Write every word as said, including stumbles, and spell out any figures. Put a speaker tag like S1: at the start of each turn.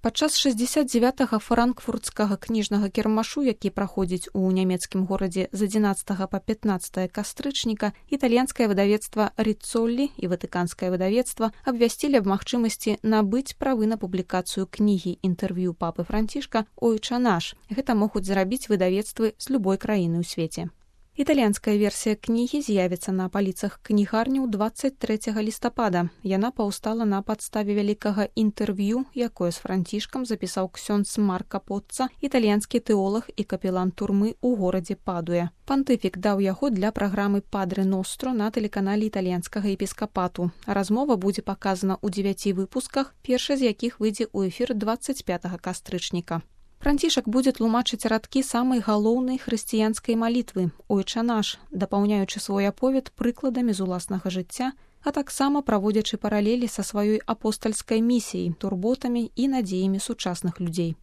S1: Падчас шэсцьдзесят дзевятага франкфуртскага кніжнага кірмашу, які праходзіць у нямецкім горадзе з адзінаццатага па пятнаццатае кастрычніка, італьянскае выдавецтва Риццолі і ватыканскае выдавецтва абвясцілі аб магчымасці набыць правы на публікацыю кнігі інтэрв'ю папы Францішка «Ойча наш». Гэта могуць зрабіць выдавецтвы з любой краіны ў свеце. Італьянская версія кнігі з'явіцца на паліцах кнігарняў дваццаць трэцяга лістапада. Яна паўстала на падставе вялікага інтэрв'ю, якое з Францішкам запісаў ксёндз Марка Поцца, італьянскі тэолаг і капелан турмы ў горадзе Падуя. Пантыфік даў яго для праграмы «Падрэ Ностро» на тэлеканале італьянскага епіскапату. Размова будзе паказана ў дзевяці выпусках, першы з якіх выйдзе ў эфір дваццаць пятага кастрычніка. Францішак будзе тлумачыць радкі самай галоўнай хрысціянскай малітвы «Ойча наш», дапаўняючы свой аповед прыкладамі з уласнага жыцця, а таксама праводзячы паралелі са сваёй апостальскай місіяй, турботамі і надзеямі сучасных людзей.